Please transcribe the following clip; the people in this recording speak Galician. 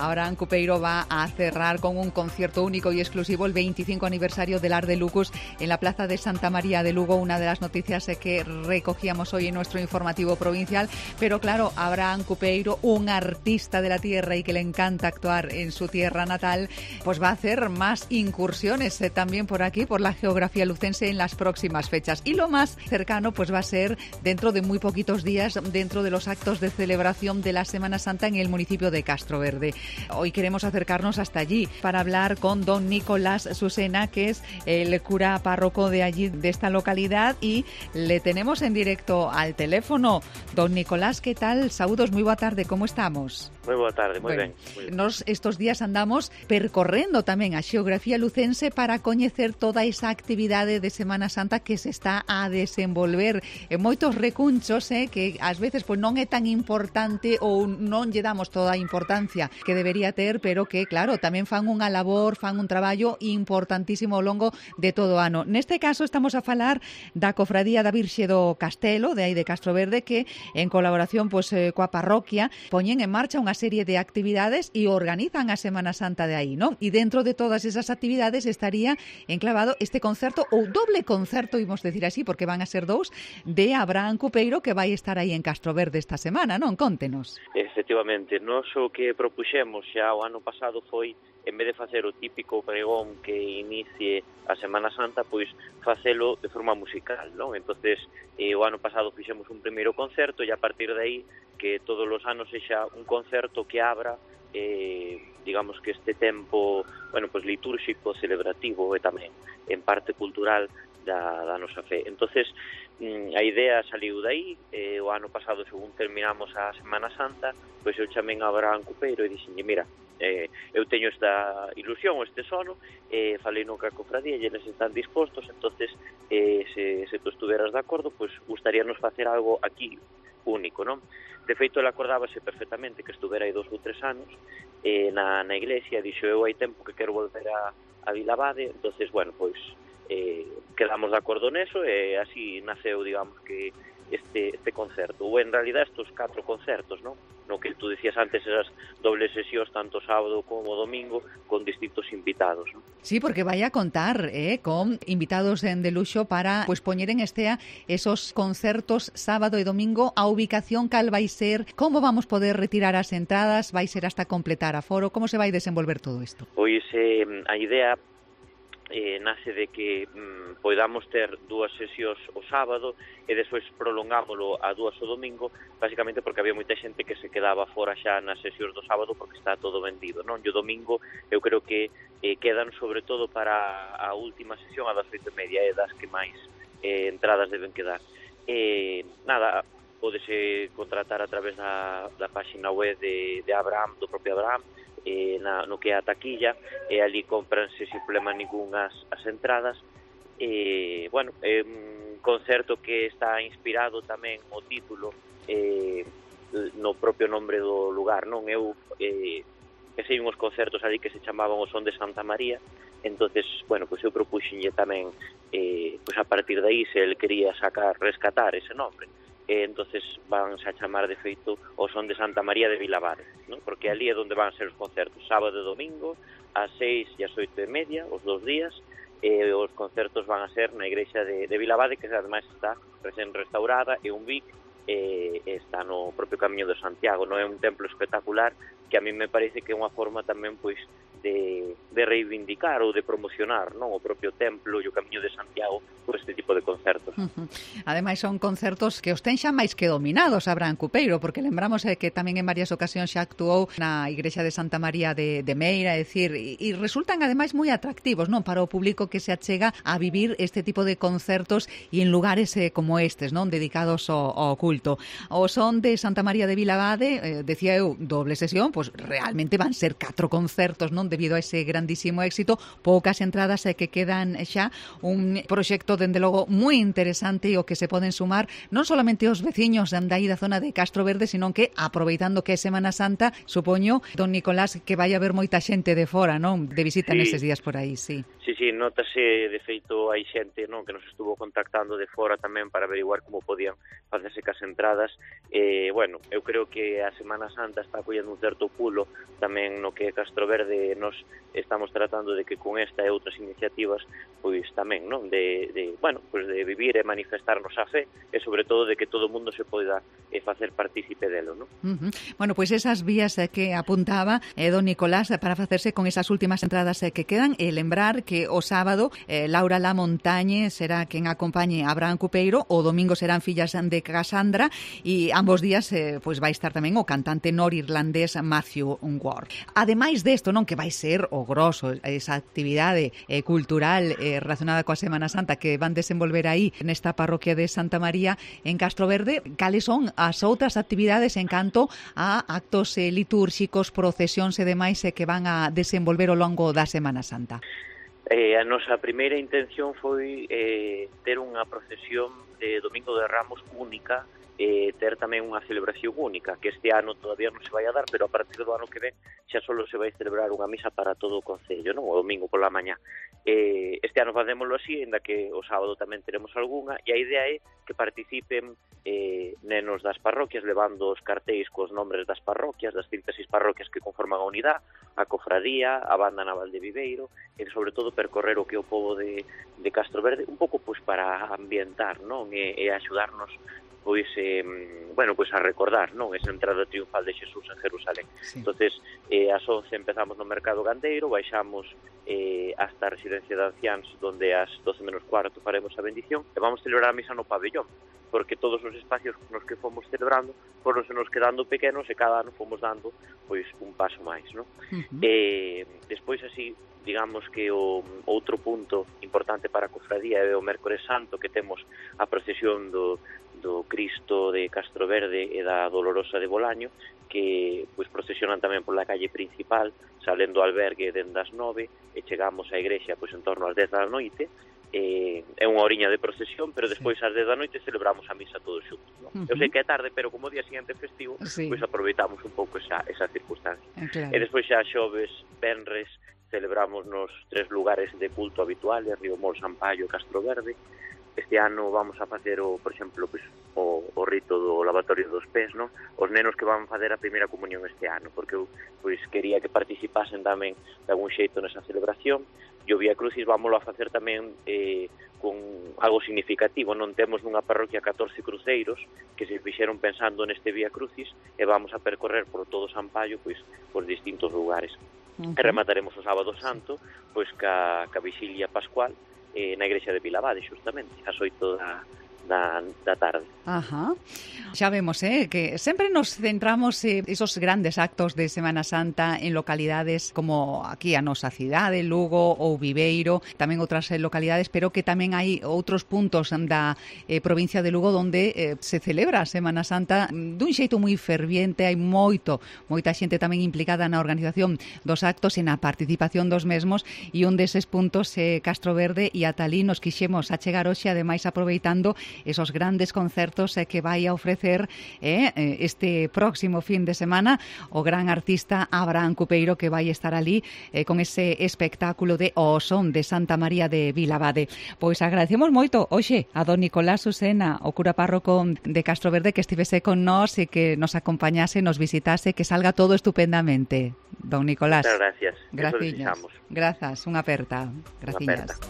Abraham Cupeiro va a cerrar con un concierto único y exclusivo el 25 aniversario del Art de Lucus en la Plaza de Santa María de Lugo, una de las noticias que recogíamos hoy en nuestro informativo provincial. Pero claro, Abraham Cupeiro, un artista de la tierra y que le encanta actuar en su tierra natal, pues va a hacer más incursiones también por aquí, por la geografía lucense en las próximas fechas. Y lo más cercano pues va a ser dentro de muy poquitos días, dentro de los actos de celebración de la Semana Santa en el municipio de Castroverde. Hoy queremos acercarnos hasta allí para hablar con don Nicolás Susena, que es el cura párroco de allí, de esta localidad, y le tenemos en directo al teléfono. Don Nicolás, ¿qué tal? Saúdos, moi boa tarde, como estamos? Moi boa tarde, moi ben. Nos estos días andamos percorrendo tamén a xeografía lucense para coñecer toda esa actividade de Semana Santa que se está a desenvolver en moitos recunchos, que ás veces pois non é tan importante ou non lle damos toda a importancia que debería ter, pero que, claro, tamén fan unha labor, fan un traballo importantísimo ao longo de todo o ano. Neste caso estamos a falar da Cofradía da Virxe do Castelo, de aí de Castroverde, que en colaboración pois coa parroquia poñen en marcha unha serie de actividades e organizan a Semana Santa de aí, non? E dentro de todas esas actividades estaría enclavado este concerto, ou doble concerto, imos decir así, porque van a ser dous, de Abraham Cupeiro, que vai estar aí en Castroverde esta semana, non? Contenos. Efectivamente, nós o que propuxemos xa o ano pasado foi, en vez de facer o típico pregón que inicie a Semana Santa, pois facelo de forma musical, non? Entonces, o ano pasado fixemos un primeiro concerto e a partir de aí que todos os anos sexa un concerto que abra digamos que este tempo, bueno, pues litúrxico, celebrativo e tamén en parte cultural da nosa fe. Entonces, a idea saliu daí, o ano pasado, según terminamos a Semana Santa, pois eu chamei a Abraham Cupeiro e dixenlle, mira, eu teño esta ilusión, este sono, falei no ca cofradía e eles están dispostos, entonces se tú estuveras de acordo, pois gustaríanos facer algo aquí único, non? De feito, ele acordábase perfectamente que estuvera aí 2 ou 3 anos na iglesia, dixo, eu hai tempo que quero volver a Vilabade, entonces, bueno, pois quedamos de acordo neso e así naceu, digamos, que este concerto, ou en realidad estos 4 concertos, non? No que tú decías antes, esas dobles sesións tanto sábado como domingo con distintos invitados, non? Sí, porque vai a contar con invitados de luxo para pues poñer en estea esos concertos sábado e domingo. A ubicación cal vai ser, como vamos poder retirar as entradas, vai ser hasta completar aforo, como se vai desenvolver todo isto? Pois a idea nace de que podamos ter 2 sesións o sábado e despois prolongámoslo a 2 o domingo, basicamente porque había moita xente que se quedaba fora xa nas sesións do sábado porque está todo vendido, non? E o domingo eu creo que quedan sobre todo para a última sesión a das 8:30, das que máis entradas deben quedar. Nada, pódese contratar a través da páxina web de Abraham, do propio Abraham, no que é a taquilla, e ali compranse sin problema ningún as entradas. Bueno, é un concerto que está inspirado tamén o título no propio nombre do lugar, non? Eu sei uns concertos ali que se chamaban o Son de Santa María, entonces, bueno, pois eu propuxenlle tamén pois a partir de aí se el quería rescatar ese nombre. Entonces van a chamar de feito o Son de Santa María de Vilabade, ¿no? Porque ali é onde van ser os concertos, sábado e domingo, ás 6 e ás 8:30, os 2 días, os concertos van a ser na igrexa de Vilabade, que ademais está recén restaurada, e un BIC, está no propio Camiño de Santiago, non é un templo espectacular que a mí me parece que é unha forma tamén pois de reivindicar ou de promocionar, non, o propio templo e o Camiño de Santiago por este tipo de concertos. Ademais son concertos que os ten xa máis que dominados Abraham Cupeiro, porque lembramos que tamén en varias ocasións xa actuou na igrexa de Santa María de Meira, é dicir, e resultan ademais moi atractivos, non, para o público que se achega a vivir este tipo de concertos e en lugares como estes, non, dedicados ao culto. O Son de Santa María de Vilabade, decía eu, doble sesión, pois realmente van ser 4 concertos, non, debido a ese grandísimo éxito, poucas entradas que quedan xa, un proxecto dende logo moi interesante e o que se poden sumar non solamente os veciños de aí da zona de Castroverde, sino que aproveitando que é Semana Santa, supoño, don Nicolás, que vai haber moita xente de fora, non, de visita neses días por aí, sí. Sí, notase, de feito, hai xente, non, que nos estuvo contactando de fora tamén para averiguar como podían facerse cas entradas. Bueno, eu creo que a Semana Santa está acollendo un certo pulo tamén no que Castroverde nos estamos tratando de que con esta e outras iniciativas pois tamén, non, de vivir e manifestarnos a fe e sobre todo de que todo o mundo se poida facer partícipe delo, non? Bueno, pois esas vías que apuntaba don Nicolás para facerse con esas últimas entradas que quedan e lembrar que o sábado Laura Lamontañe será quen acompañe a Abraham Cupeiro, o domingo serán fillas de Cassandra e ambos días pois vai estar tamén o cantante norirlandés Matthew Ward. Ademais desto, non, que vai ser o grosso, esa actividade cultural relacionada coa Semana Santa que van desenvolver aí nesta parroquia de Santa María en Castroverde, cales son as outras actividades en canto a actos litúrxicos, procesións e demais que van a desenvolver ao longo da Semana Santa? A nosa primeira intención foi ter unha procesión de Domingo de Ramos única, ter tamén unha celebración única, que este ano todavía non se vai a dar, pero a partir do ano que ven xa solo se vai celebrar unha misa para todo o Concello, non? O domingo pola mañá. Este ano facémoslo así, ainda que o sábado tamén teremos algunha, e a idea é que participen nenos das parroquias levando os cartéis cos nombres das parroquias, das 36 parroquias que conforman a unidade, a cofradía, a banda naval de Viveiro, e sobre todo percorrer o que o pobo de Castroverde, un pouco pois para ambientar, non? E axudarnos pois a recordar, non, esa entrada triunfal de Xesús en Jerusalén. Sí. Entonces, ás 11 empezamos no Mercado Gandeiro, baixamos hasta a residencia de anciáns, donde ás 12 menos cuarto faremos a bendición, e vamos celebrar a misa no pabellón, porque todos os espacios nos que fomos celebrando foron se nos quedando pequenos e cada ano fomos dando pois un paso máis, non? Despois así, digamos que o outro punto importante para a cofradía é o Mércores Santo, que temos a procesión do Cristo de Castroverde e da Dolorosa de Bolaño, que pois procesionan tamén pola calle principal, salendo do albergue dende as 9 e chegamos á igrexa pois en torno ás 10 da noite. É unha horiña de procesión, pero despois ás 10 da noite celebramos a misa todos xuntos, non? Eu sei que é tarde, pero como o día seguinte festivo, pois aproveitamos un pouco esa circunstancia. Claro. E despois xa xoves, venres, celebramos nos 3 lugares de culto habituales, Riomol, Sampaio e Castroverde. Este ano vamos a facer, por exemplo, pois, o rito do lavatorio dos pés, non? Os nenos que van facer a primeira comunión este ano, porque eu pois quería que participasen tamén de algún xeito nesa celebración. E o Vía Crucis vámoslo a facer tamén con algo significativo. Non temos nunha parroquia 14 cruceiros que se fixeron pensando neste Vía Crucis e vamos a percorrer por todo Sampaio pois por distintos lugares. E remataremos o sábado santo pois ca vixilia pascual na igrexa de Vilabade, xustamente, ás 8 da tarde. Ajá. Xa vemos, que sempre nos centramos esos grandes actos de Semana Santa en localidades como aquí a nosa cidade, Lugo ou Viveiro, tamén outras localidades, pero que tamén hai outros puntos da provincia de Lugo onde se celebra a Semana Santa dun xeito moi ferviente, hai moita xente tamén implicada na organización dos actos e na participación dos mesmos, e un deses puntos Castroverde e ata alí nos quixemos achegar hoxe, ademais aproveitando esos grandes concertos que vai a ofrecer este próximo fin de semana o gran artista Abraham Cupeiro, que vai estar ali con ese espectáculo de O Son de Santa María de Vilabade. Pois agradecemos moito hoxe a don Nicolás Susena, o cura párroco de Castroverde, que estivese con nós e que nos acompañase, nos visitase, que salga todo estupendamente. Don Nicolás. Muchas gracias. Gracias. Grazas, unha aperta. Gracias.